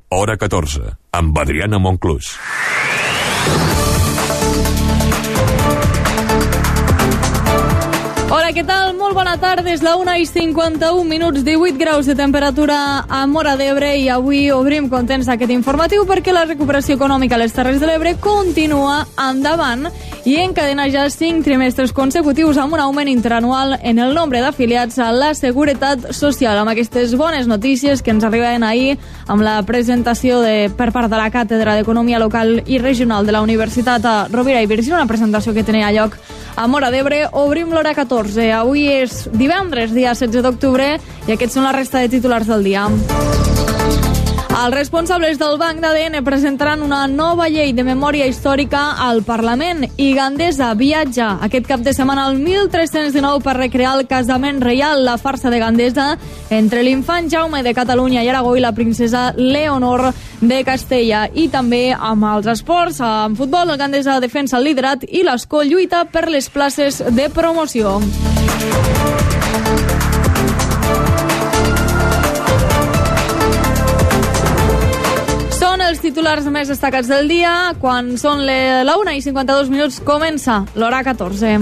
hora 14, amb Adriana Monclús. Hola, què tal? Molt bona tarda. És la 1:51, 18 graus de temperatura a Móra d'Ebre i avui obrim contents aquest informatiu perquè la recuperació econòmica a les Terres de l'Ebre continua endavant i encadena ja 5 trimestres consecutius amb un augment interanual en el nombre d'afiliats a la Seguretat Social. Amb aquestes bones notícies que ens arribaven ahir amb la presentació per part de la Càtedra d'Economia Local i Regional de la Universitat Rovira i Virgili, una presentació que tenia lloc a Móra d'Ebre, obrim l'hora 14. Avui és divendres, dia 16 d'octubre, i aquests són la resta de titulars del dia. Els responsables del Banc d'ADN presentaran una nova llei de memòria històrica al Parlament i Gandesa viatja aquest cap de setmana al 1319 per recrear el casament reial, la farsa de Gandesa entre l'infant Jaume de Catalunya i Aragó i la princesa Leonor de Castella. I també amb els esports, en futbol, el Gandesa defensa el liderat i l'Escó lluita per les places de promoció. Els titulars més destacats del dia. Quan són la 1:52 comença l'hora 14.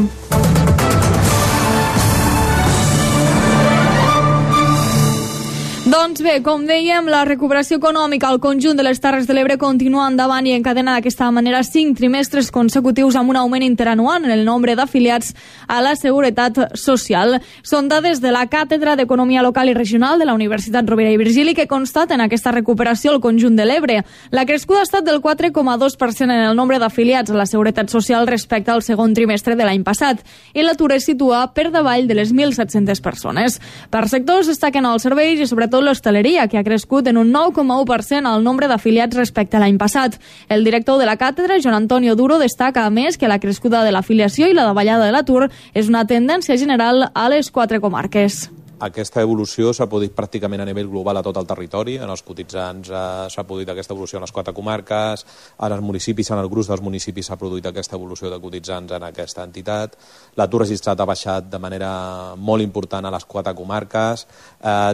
Doncs bé, com dèiem, la recuperació econòmica al conjunt de les Terres de l'Ebre continua endavant i encadena d'aquesta manera 5 trimestres consecutius amb un augment interanual en el nombre d'afiliats a la Seguretat Social. Són dades de la Càtedra d'Economia Local i Regional de la Universitat Rovira i Virgili que constaten aquesta recuperació al conjunt de l'Ebre. La crescuda ha estat del 4,2% en el nombre d'afiliats a la Seguretat Social respecte al segon trimestre de l'any passat i l'atur es situa per davall de les 1.700 persones. Per sectors destaquen els serveis i sobretot l'hostaleria, que ha crescut en un 9,1% el nombre d'afiliats respecte a l'any passat. El director de la càtedra, Joan Antonio Duro, destaca a més que la crescuda de l'afiliació i la davallada de l'atur és una tendència general a les 4 comarques. Aquesta evolució s'ha produït pràcticament a nivell global a tot el territori. En els cotitzants s'ha produït aquesta evolució en les 4 comarques, en els municipis, en el gruix dels municipis s'ha produït aquesta evolució de cotitzants en aquesta entitat. L'atur registrat ha baixat de manera molt important a les 4 comarques,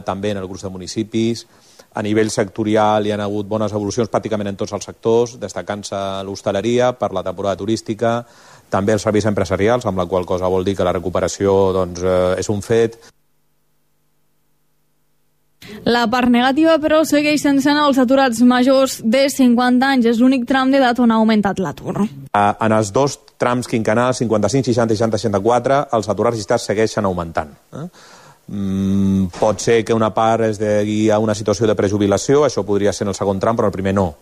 també en el gruix de municipis. A nivell sectorial hi ha hagut bones evolucions pràcticament en tots els sectors, destacant-se l'hostaleria per la temporada turística, també els serveis empresarials, amb la qual cosa vol dir que la recuperació és un fet. La part negativa, però, segueix sense anar als aturats majors de 50 anys. És l'únic tram d'edat on ha augmentat l'atur. En els 2 trams quinquennals, 55, 60 i 60, 64, els aturats registrats segueixen augmentant. Pot ser que una part es degui a una situació de prejubilació, això podria ser en el segon tram, però el primer no.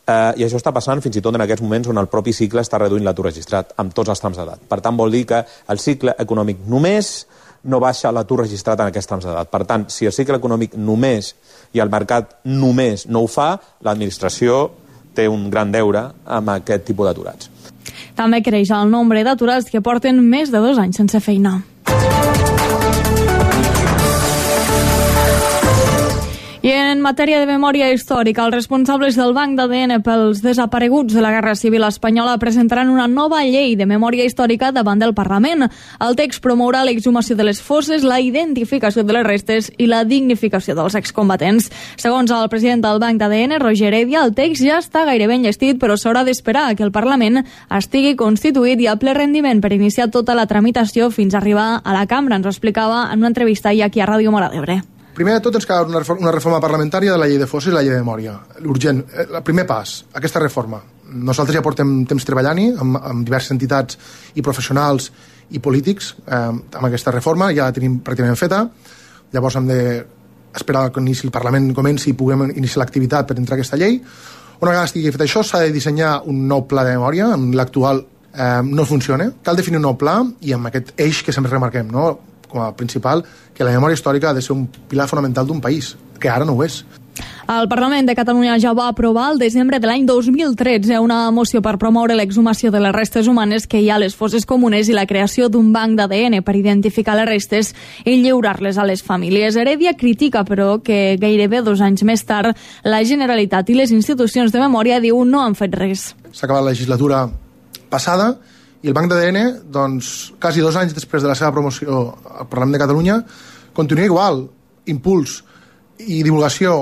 I això està passant fins i tot en aquests moments on el propi cicle està reduint l'atur registrat, amb tots els trams d'edat. Per tant, vol dir que el cicle econòmic només no baixa l'atur registrat en aquests trams d'edat. Per tant, si el cicle econòmic només i el mercat només no ho fa, l'administració té un gran deure amb aquest tipus d'aturats. També creix el nombre d'aturats que porten més de 2 anys sense feina. I en matèria de memòria històrica, els responsables del Banc d'ADN pels desapareguts de la Guerra Civil Espanyola presentaran una nova llei de memòria històrica davant del Parlament. El text promourà l'exhumació de les fosses, la identificació de les restes i la dignificació dels excombatents. Segons el president del Banc d'ADN, Roger Heredia, el text ja està gairebé enllestit, però s'haurà d'esperar que el Parlament estigui constituït i a ple rendiment per iniciar tota la tramitació fins a arribar a la cambra. Ens ho explicava en una entrevista ahir aquí a Ràdio Móra d'Ebre. Primer de tot ens cal una reforma parlamentària de la llei de fosses i la llei de memòria. L'urgent, el primer pas, aquesta reforma. Nosaltres ja portem temps treballant-hi amb diverses entitats i professionals i polítics amb aquesta reforma, ja la tenim pràcticament feta. Llavors hem d'esperar que el Parlament comenci i puguem iniciar l'activitat per entrar a aquesta llei. Una vegada estigui fet això, s'ha de dissenyar un nou pla de memòria, l'actual no funciona. Cal definir un nou pla i amb aquest eix que sempre remarquem, no?, com a principal, que la memòria històrica ha de ser un pilar fonamental d'un país, que ara no ho és. El Parlament de Catalunya ja va aprovar el desembre de l'any 2013 una moció per promoure l'exhumació de les restes humanes que hi ha a les fosses comunes i la creació d'un banc d'ADN per identificar les restes i lliurar-les a les famílies. Heredia critica, però, que gairebé 2 anys més tard la Generalitat i les institucions de memòria, diu, no han fet res. S'ha acabat la legislatura passada i el Banc d'ADN, doncs, quasi 2 anys després de la seva promoció al Parlament de Catalunya, continua igual. Impuls i divulgació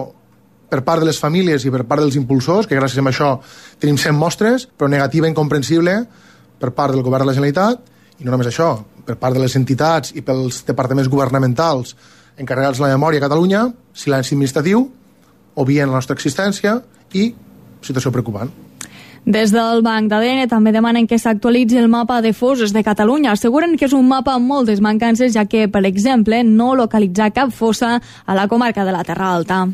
per part de les famílies i per part dels impulsors, que gràcies a això tenim 100 mostres, però negativa incomprensible per part del govern de la Generalitat, i no només això, per part de les entitats i pels departaments governamentals encarregats de la memòria a Catalunya, silenci administratiu, obvien la nostra existència i situació preocupant. Des del Banc d'ADN també demanen que s'actualitzi el mapa de fosses de Catalunya. Asseguren que és un mapa amb moltes mancances, ja que, per exemple, no localitza cap fossa a la comarca de la Terra Alta.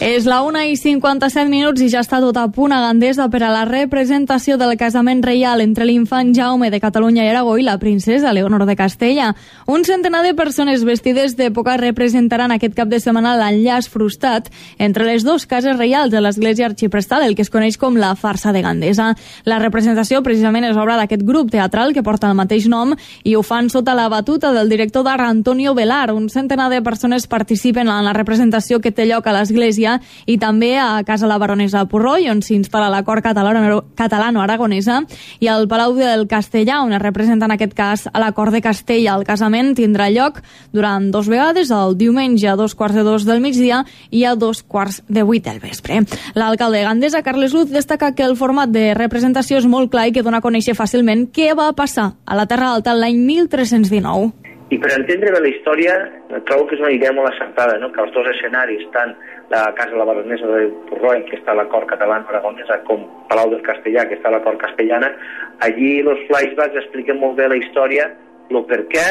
És la 1:57 i ja està tot a punt a Gandesa per a la representació del casament reial entre l'infant Jaume de Catalunya i Aragó i la princesa Leonor de Castella. Un centenar de persones vestides d'època representaran aquest cap de setmana l'enllaç frustrat entre les dues cases reials de l'església arxiprestal, el que es coneix com la farsa de Gandesa. La representació precisament és obra d'aquest grup teatral que porta el mateix nom i ho fan sota la batuta del director d'art Antonio Velar. Un centenar de persones participen en la representació que té lloc a l'església i també a Casa la Baronesa de Purroi, on s'instal·la la cort catalano-aragonesa, i al Palau del Castellà, on es representa en aquest cas a la cort de Castella. El casament tindrà lloc durant 2 vegades, el diumenge a 2:45 del migdia i a 7:45 del vespre. L'alcalde de Gandesa, Carles Luz, destaca que el format de representació és molt clar i que dona a conèixer fàcilment què va passar a la Terra Alta l'any 1319. I per entendre bé la història, trobo que és una idea molt acertada, no? Que els dos escenaris, tant la Casa la Baronesa de Purroi, que està a la cort catalana-aragonesa, com Palau del Castellà, que està a la cort castellana, allí els flashbacks expliquen molt bé la història, el per què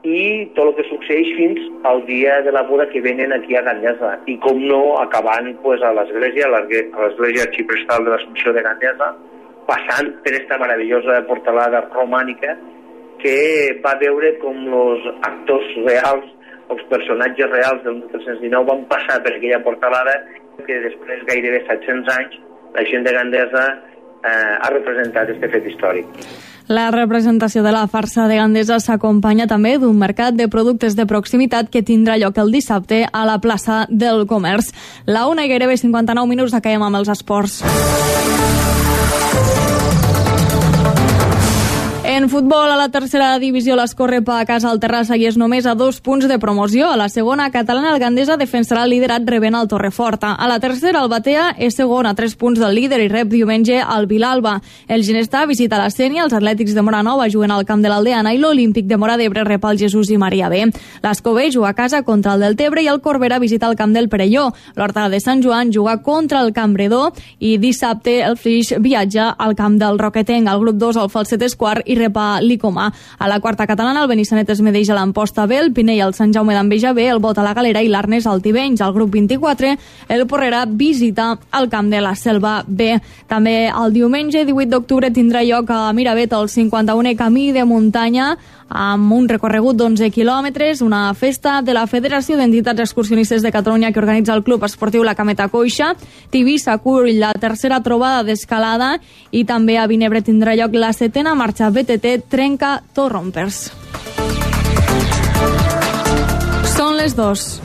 i tot el que succeeix fins al dia de la boda que venen aquí a Gandesa. I com no, acabant pues, a l'església arxiprestal de l'Assumpció de Gandesa, passant per esta meravellosa portalada romànica que va veure com els actors reals, els personatges reals del 1319 van passar per aquella portalada que després gairebé 700 anys la gent de Gandesa ha representat aquest fet històric. La representació de la farsa de Gandesa s'acompanya també d'un mercat de productes de proximitat que tindrà lloc el dissabte a la plaça del Comerç. La 1:59 acabem amb els esports. En futbol, a la tercera divisió, l'Escorrepa a casa al Terrassa i és només a 2 punts de promoció. A la segona catalana, el Gandesa defensarà el liderat rebent el Torreforta. A la tercera, el Batea és segon a 3 punts del líder i rep diumenge al Vilalba. El Ginestà visita la Sénia, els Atlètics de Moranova juguen al camp de l'Aldeana i l'Olímpic de Móra d'Ebre rep el Jesús i Maria B. L'Escobell juga a casa contra el Deltebre i el Corbera visita el camp del Perelló. L'Horta de Sant Joan juga contra el Campredó i dissabte el Flix viatja al camp del Roquetenc. El grup 2, el Falset és quart i rep a l'Icomà. A la quarta catalana, el Benissanet es medeix a l'Amposta B, el Pinell al Sant Jaume d'Enveja B, el Bot a la Galera i l'Arnes al Tivenys. Al grup 24, el Porrera visita el camp de la Selva B. També el diumenge 18 d'octubre tindrà lloc a Miravet el 51è Camí de Muntanya amb un recorregut d'11 quilòmetres, una festa de la Federació d'Entitats Excursionistes de Catalunya que organitza el Club Esportiu La Cameta Coixa. Tivissa acull la tercera trobada d'escalada i també a Vinebre tindrà lloc la 7a marxa BTT Trenca Torrompers. Són les 2.